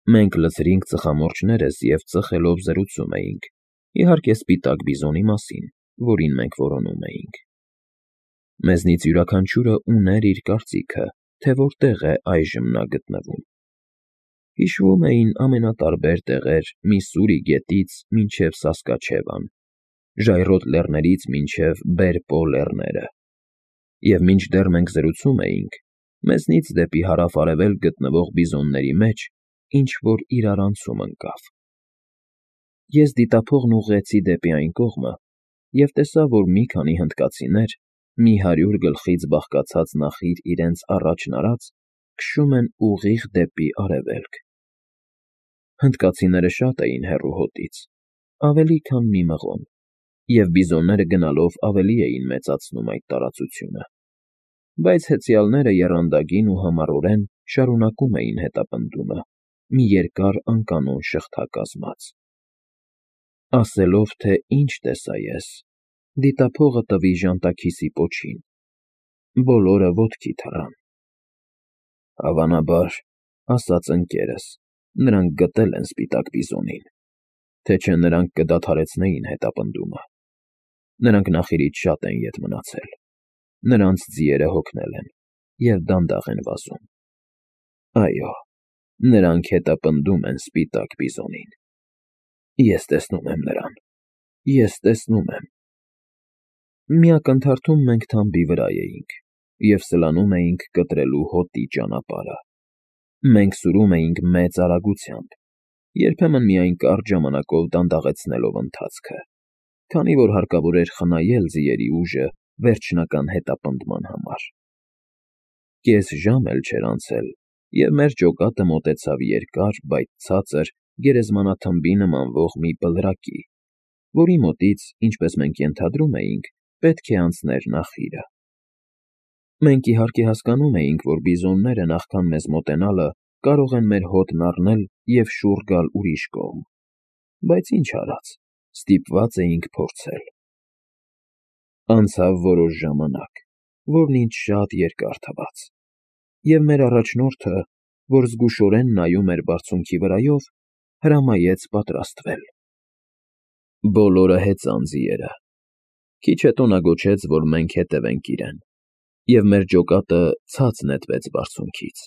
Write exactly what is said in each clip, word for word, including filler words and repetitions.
Մենք լցրինք ծխամորճներս և ծխելով զրուցում էինք, իհարկե, սպիտակ բիզոնի մասին, որին մենք որոնում էինք։ Մեզնից յուրաքանչյուրը ուներ իր կարծիքը, թե որտեղ է այժմ նա գտնվում։ Հիշվում էին ամենատարբեր տեղեր Միսսուրի գետից մինչև Սասկաչևան, ժայռոտ լեռներից մինչև Բեր֊Պո լեռները, և մինչդեռ մենք զրուցում էինք, մեզնից դեպի հարավ֊արևելք գտնվող բիզոնների մեջ ինչ֊որ իրարանցում ընկավ։ Ես դիտափողն ուղղեցի դեպի այն կողմը և տեսա, որ մի քանի հնդկացիներ, մի հարյուր գլխից բաղկացած նախիր իրենց առաջն արած, քշում են ուղիղ դեպի արևելք։ Հնդկացիները շատ էին հեռու հոտից, ավելի քան մի մղոն, և բիզոնները գնալով ավելի էին մեծացնում այդ տարածությունը, բայց հեծյալները եռանդագին ու համառորեն շարունակում էին հետապնդումը, մի երկար անկանոն շղթա կազմած։ Ասելով, թե ինչ տեսա ես, դիտափողը տվի ժանտաքիսի պոչին, բոլորը ոտքի թռան։ Հավանաբար, ասաց ընկերս, նրանք գտել են սպիտակ բիզոնին, թե չէ նրանք կդադարեցնեին հետապնդումը։ Նրանք նախիրից շատ են ետ մնացել, նրանց ձիերը հոգնել են և դանդաղ են վազում։ Այո, նրանք հետապնդում են սպիտակ բիզոնին։ Ես տեսնում եմ նրան, ես տեսնում եմ։ Մի ակնթարթում մենք թամբի վրա էինք և սլանում էինք կտրելու հոտի ճանապարհը։ Մենք սուրում էինք մեծ արագությամբ, երբեմն միայն կարճ ժամանակով դանդաղեցնելով ընթացքը, քանի որ հարկավոր էր խնայել ձիերի ուժը վերջնական հետապնդման համար։ Կես ժամ էլ չէր անցել, և մեր ջոկատը մոտեցավ երկար, բայց ցածր գերեզմանաթմբի նմանվող մի բլրակի, որի մոտից, ինչպես մենք ենթադրում էինք, պետք է անցներ նախիրը։ Մենք, իհարկե, հասկանում էինք, որ բիզոնները նախքան մեզ մոտենալը կարող են մեր հոտն առնել և շուռ գալ ուրիշ կողմ, բայց ինչ արած, ստիպված էինք փորձել։ Անցավ որոշ ժամանակ, որն ինձ շատ երկար թվաց, և մեր առաջնորդը, որ զգուշորեն նայում էր բարձունքի վրայով, հրամայեց պատրաստվել։ Բոլորը հեծան ձիերը։ Քիչ հետո նա գոչեց, որ մենք հետևենք իրեն, և մեր ջոկատը ցած նետվեց բարձունքից։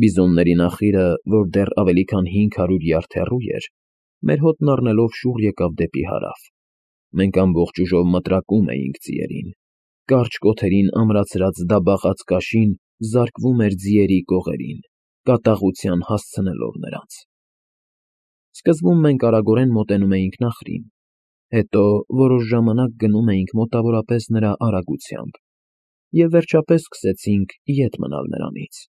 Բիզոնների նախիրը, որ դեռ ավելի քան հինգ հարյուր յարդ հեռու էր, մեր հոտն առնելով շուռ եկավ դեպի հարավ։ Մենք ամբողջ ուժով մտրակում էինք ձիերին։ Կարճ կոթերին ամրացրած դաբախած կաշին զարկվում էր ձիերի կողերին, կատաղության հասցնելով նրանց։ Սկզբում մենք արագորեն մոտենում էինք նախրին, հետո որոշ ժամանակ գնում էինք մոտավորապես նրա արագությամբ և վերջապես սկսեցինք ետ մնալ նրանից։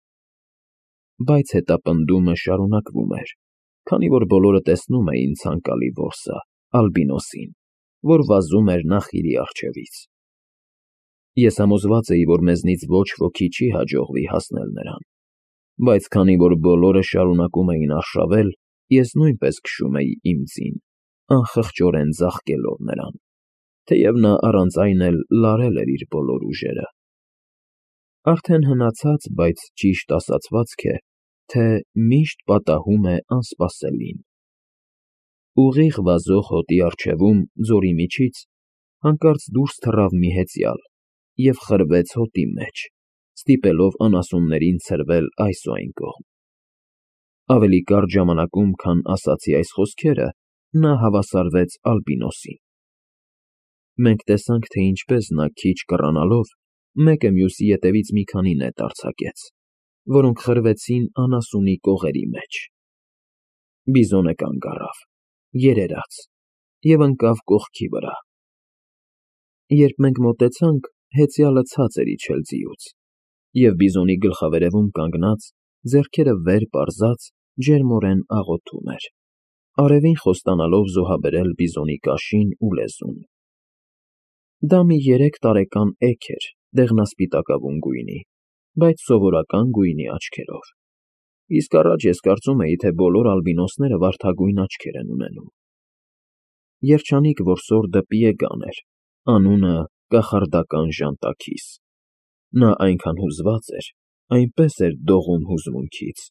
Բայց հետապնդումը շարունակվում էր, քանի որ բոլորը տեսնում էին ցանկալի որսը, Ալբինոսին, որ վազում էր նախիրի առջևից։ Ես համոզված էի, որ մեզնից ոչ ոքի չի հաջողվի հասնել նրան, բայց քանի որ բոլորը շարունակում էին արշավել, ես նույնպես քշում էի իմ ձին, անխղճորեն ձաղկելով նրան, թեև նա առանց այն էլ լարել էր իր բոլոր ուժերը։ Արդեն հնացած, բայց ճիշտ ասացվածք է, թե միշտ պատահում է անսպասելին։ Ուղիղ վազող հոտի առջևում, ձորի միջից, հանկարծ դուրս թռավ մի հեծյալ և խրվեց հոտի մեջ, ստիպելով անասուններին ցրվել այս ու այն կողմ։ Ավելի կարճ ժամանակում, քան ասացի այս խոսքերը, նա հավասարվեց Ալբինոսին։ Մենք տեսանք, թե ինչպես նա քիչ կռանալով մեկը մյուսի ետևից մի քանի նետ արձակեց, որոնք խրվեցին անասունի կողերի մեջ։ Բիզոնը կանգ առավ, երերաց և ընկավ կողքի վրա։ Երբ մենք մոտեցանք, հեծյալը ցած էր իջել ձիուց, և բիզոնի գլխավերևում կանգնած, ձեռքերը վեր պարզած, ջերմորեն աղոթում էր, արևին խոստանալով զոհաբերել բիզոնի կաշին ու լեզուն։ Դա մի երեք տարեկան էգ էր դեղնասպիտակավուն գույնի, բայց սովորական գույնի աչքերով, իսկ առաջ ես կարծում էի, թե բոլոր ալբինոսները վարդագույն աչքեր են ունենում։ Երջանիկ որսորդը Պիեգան էր, անունը կախարդական ժանտաքիս։ Նա այնքան հուզված էր, այնպես էր դողում հուզմունքից,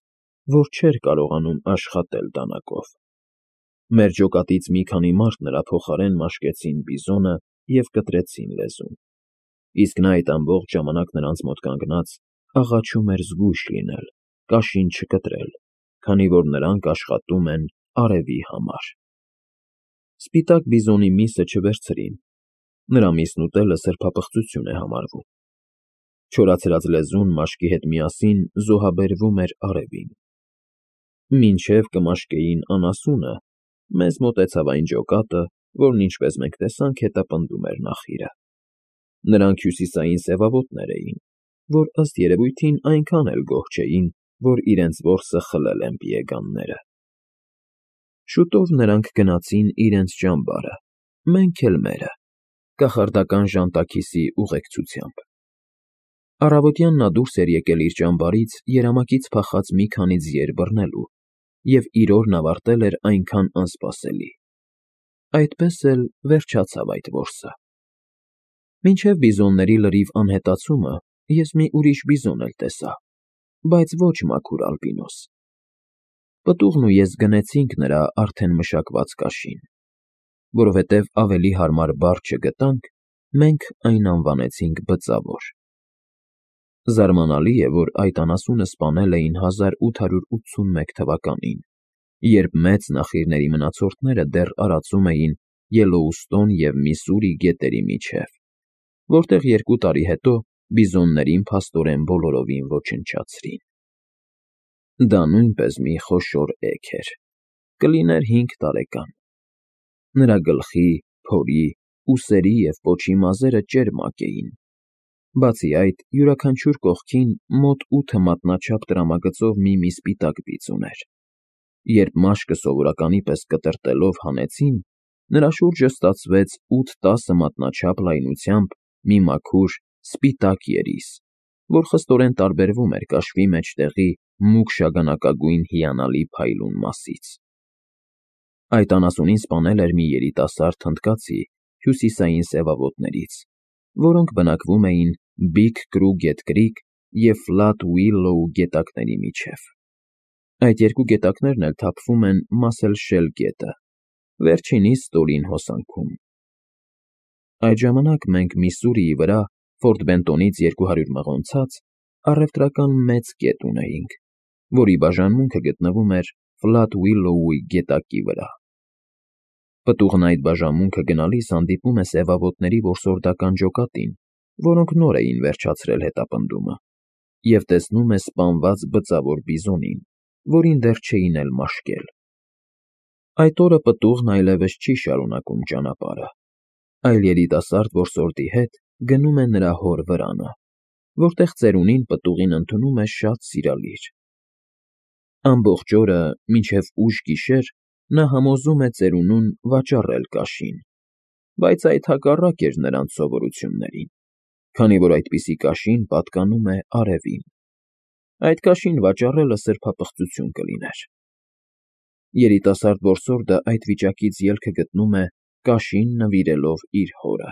որ չէր կարողանում աշխատել դանակով։ Մեր ջոկատից մի քանի մարդ նրա փոխարեն մաշկեցին բիզոնը և կտրեցին լեզուն, իսկ նա այդ ամբողջ ժամանակ նրանց մոտ կանգնած աղաչում էր զգույշ լինել, կաշին չկտրել, քանի որ նրանք աշխատում են արևի համար։ Սպիտակ բիզոնի միսը չվերցրին, նրա միսն ուտելը սրբապղծություն է համարվում։ Չորացրած լեզուն մաշկի հետ միասին զոհաբերվում էր արևին։ Մինչև կմաշկեին անասունը, մեզ մոտեցավ այն ջոկատը, որն ինչպես մենք տեսանք, հետապնդում էր նախիրը։ Նրանք հյուսիսային սևավոտներ էին, որ ըստ երևույթին այնքան էլ գոհ չէին, որ իրենց որսը խլել են պիեգանները։ Շուտով նրանք գնացին իրենց ճամբարը, մենք էլ մերը, կախարդական ժանտաքիսի ուղեկցությամբ։ Առավոտյան նա դուրս էր եկել իր ճամբարից երամակից փախած մի քանի ձիեր բռնելու և իր օրն ավարտել էր այնքան անսպասելի։ Այդպես էլ վերջացավ այդ որսը։ Մինչև բիզոնների լրիվ անհետացումը ես մի ուրիշ բիզոն էլ տեսա, բայց ոչ մաքուր ալբինոս։ Պտուղն ու ես գնեցինք նրա արդեն մշակված կաշին։ Որովհետև ավելի հարմար բառ չգտանք, մենք այն անվանեցինք բծավոր։ Զարմանալի է, որ այդ անասունը սպանել էին հազար ութ հարյուր ութսունմեկ թվականին, երբ մեծ նախիրների մնացորդները դեռ արածում էին Ելոուստոն և Միսսուրի գետերի միջև, որտեղ երկու տարի հետո բիզոններին փաստորեն բոլորովին ոչնչացրին։ Դա նույնպես մի խոշոր էգ էր, կլիներ հինգ տարեկան։ Նրա գլխի, փորի, ուսերի և պոչի մազերը ճերմակ էին։ Բացի այդ, յուրաքանչյուր կողքին մոտ ութ մատնաչափ տրամագծով մի-մի սպիտակ բիծ ուներ։ Երբ մաշկը սովորականի պես կտրտելով հանեցին, նրա շուրջը ստացվեց ութ֊տասը մատնաչափ լայնությամբ մի մաքուր, սպիտակ երիս, որ խստորեն տարբերվում էր կաշվի մեջտեղի մուգ շագանակագույն հիանալի փայլուն մասից։ Այդ անասունին սպանել էր մի երիտասարդ հնդկացի հյուսիսային սևավոտներից, որոնք բնակվում էին Բիգ Կրուգետ Կրիք և Ֆլատ Ուիլլոու գետակների միջև։ Այդ երկու գետակներն էլ թափվում են Մասել Շել գետը, վերջինիս ստորին հոսանքում։ Այդ ժամանակ մենք Միսսուրիի վրա, Ֆորտ Բենտոնից երկու հարյուր մղոն ցած, առևտրական մեծ գետ ունեինք, որի բաժանմունքը գտնվում էր Ֆլատ Ուիլլոուի գետակի վրա։ Պտուղն այդ բաժանմունքը գնալիս հանդիպում է սևավոտների որսորդական ջոկատին, որոնք նոր էին վերջացրել հետապնդումը, և տեսնում է սպանված բծավոր բիզոնին, որին դեռ չէին էլ մաշկել։ Այդ օրը պտուղն այլևս չի շարունակում ճանապարհը, այլ երիտասարդ որսորդի հետ գնում է նրա հոր վրանը, որտեղ ծերունին պտուղին ընդունում է շատ սիրալիր։ Ամբողջ օրը, մինչև ուշ գիշեր նա համոզում է ծերունուն վաճառել կաշին, բայց այդ հակառակ էր նրանց սովորություններին, քանի որ այդպիսի կաշին պատկանում է արևին։ Այդ կաշին վաճառելը սրբապղծություն կլիներ։ Երիտասարդ որսորդը այդ վիճակից ելքը գտնում է կաշին նվիրելով իր հորը։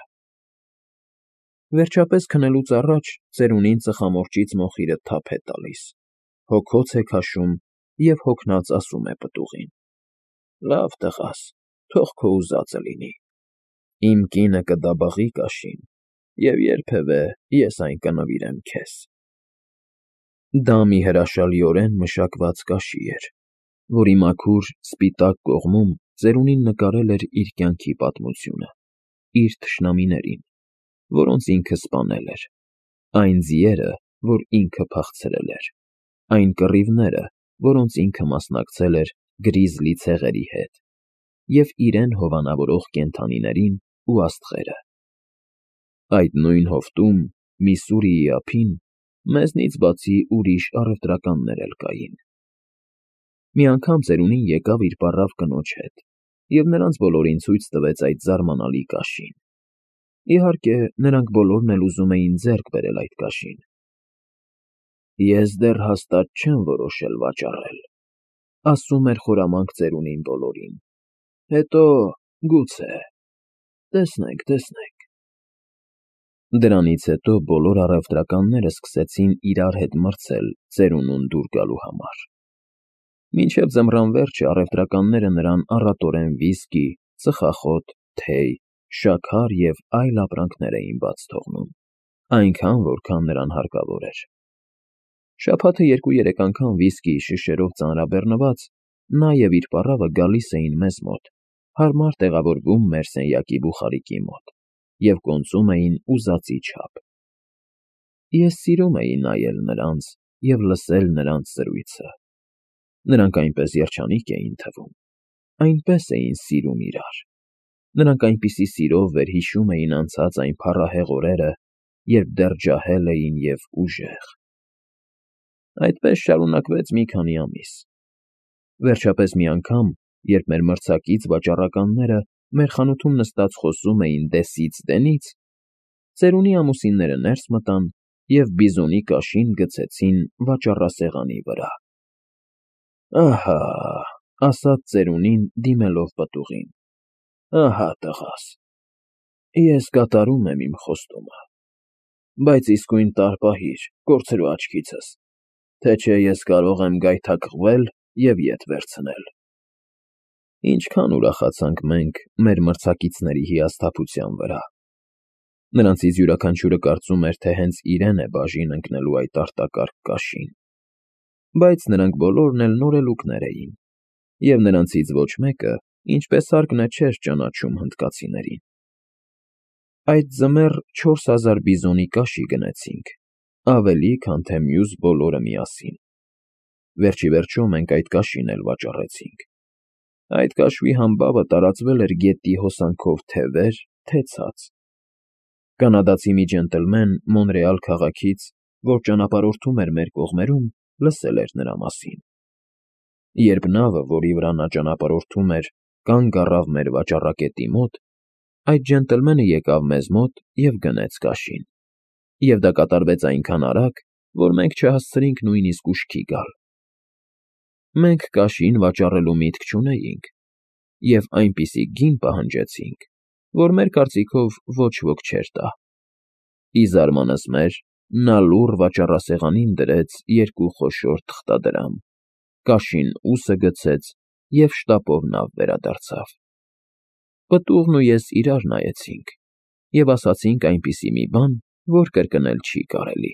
Վերջապես քնելուց առաջ ծերունին ծխամորճից մոխիրը թափ է տալիս, հոգոց է քաշում և հոգնած ասում է պտուղին. «Լավ տղաս, թող քո ուզածը լինի։ Իմ կինը կդաբաղի կաշին, և երբևէ ես այն կնվիրեմ քեզ»։ Դա մի հրաշալիորեն մշակված կաշի էր, որի մաքուր, սպիտակ կողմում ծերունին նկարել էր իր կյանքի պատմությունը, իր թշնամիներին, որոնց ինքը սպանել էր, այն ձիերը, որ ինքը փախցրել էր, այն կռիվները, որոնց ինքը մասնակցել էր գրիզլի ցեղերի հետ, և իրեն հովանավորող կենդանիներին ու աստղերը։ Այդ նույն հովտում, Միսսուրիի ափին, մեզնից բացի ուրիշ առևտրականներ էլ կային։ Մի անգամ ծերունին եկավ իր պառավ կնոջ հետ և նրանց բոլորին ցույց տվեց այդ զարմանալի կաշին։ Իհարկե, նրանք բոլորն էլ ուզում էին ձեռք բերել այդ կաշին։ «Ես դեռ հաստատ չեմ որոշել վաճառել», ասում էր խորամանկ ծերունին բոլորին, «հետո, գուցե, տեսնենք, տեսնենք»։ Դրանից հետո բոլոր առևտրականները սկսեցին իրար հետ մրցել ծերունուն դուր գալու համար։ Մինչև ձմռան վերջը առևտրականները նրան առատորեն վիսկի, ծխախոտ, թեյ, շաքար և այլ ապրանքներ էին բաց թողնում, այնքան, որքան նրան հարկավոր էր։ Շաբաթը երկու֊երեք անգամ վիսկիի շշերով ծանրաբեռնված, նա և իր պառավը գալիս էին մեզ մոտ, հարմար տեղավորվում մեր սենյակի բուխարիկի մոտ և կոնծում էին ուզածի չափ։ Ես սիրում էի նայել նրանց և լսել նրանց զրույցը։ Նրանք այնպես երջանիկ էին թվում, այնպես էին սիրում իրար, նրանք այնպիսի սիրով վերհիշում էին անցած այն փառահեղ օրերը, երբ դեռ ջահել էին և ուժեղ։ Այդպես շարունակվեց մի քանի ամիս։ Վերջապես մի անգամ, երբ մեր մրցակից վաճառականները մեր խանութում նստած խոսում էին դեսից֊դենից, ծերունի ամուսինները ներս մտան և բիզոնի կաշին գցեցին վաճառասեղանի վրա։ ֊ Ահա,֊ ասաց ծերունին, դիմելով պտուղին,֊ ահա տղաս, ես կատարում եմ իմ խոստումը, բայց իսկույն տարպահիր, կորցրու աչքիցս, թե չէ ես կարող եմ գայթակղվել և ետ վերցնել։ Ինչքան ուրախացանք մենք մեր մրցակիցների հիասթափության վրա։ Նրանցից յուրաքանչյուրը կարծում էր, թե հենց իրեն է բաժին ընկնելու այդ արտակարգ կաշին, բայց նրանք բոլորն էլ նորելուկներ էին, և նրանցից ոչ մեկը, ինչպես հարկն է, չէր ճանաչում հնդկացիներին։ Այդ ձմեռ չորս հազար բիզոնի կաշի գնեցինք, ավելի, քան թե մյուս բոլորը միասին։ Վերջիվերջո մենք այդ կաշին էլ վաճառեցինք։ Այդ կաշվի համբավը տարածվել էր գետի հոսանքով թե՛ վեր, թե՛ ցած։ Կանադացի մի ջենտլմեն Մոնրեալ քաղաքից, որ ճանապարհորդում էր մեր կողմերում, լսել էր նրա մասին։ Երբ նավը, որի վրա նա ճանապարհորդում էր, կանգ առավ մեր վաճառակետի մոտ, այդ ջենտլմենը եկավ մեզ մոտ և գնեց կաշին, և դա կատարվեց այնքան արագ, որ մենք չհասցրինք նույնիսկ ուշքի գալ։ Մենք կաշին վաճառելու միտք չունեինք և այնպիսի գին պահանջեցինք, որ մեր կարծիքով ոչ ոք չէր տա։ Ի զարմանս մեր, նա լուռ վաճառասեղանին դրեց երկու խոշոր թղթադրամ, կաշին ուսը գցեց և շտապով նավ վերադարձավ։ Պտուղն ու ես իրար նայեցինք և ասացինք այնպիսի մի բան, որ կրկնել չի կարելի։